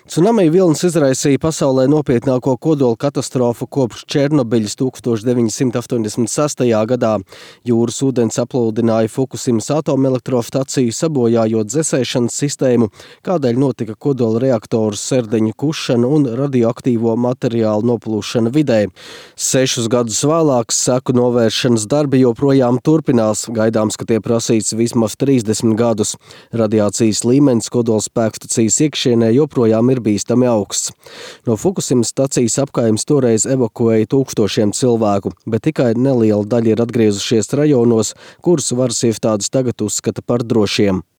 Cunami vilnis izraisīja pasaulē nopietnāko kodola katastrofu kopš Černobiļas 1986. gadā. Jūras ūdens aplūdināja Fukusimas atomelektrostaciju, sabojājot dzesēšanas sistēmu, kādēļ notika kodola reaktoru serdeņu kušana un radioaktīvo materiālu noplūšana vidē. 6 gadus vēlāk seku novēršanas darbi joprojām turpinās. Gaidāms, ka tie prasīs vismaz 30 gadus. Radiācijas līmenis kodolspēkstacijas iekšienē joprojām ir bīstami augsts. No Fukusimas stacijas apkaimes toreiz evakuēja tūkstošiem cilvēku, bet tikai neliela daļa ir atgriezušies rajonos, kurus varas iestādes tagad uzskata par drošiem.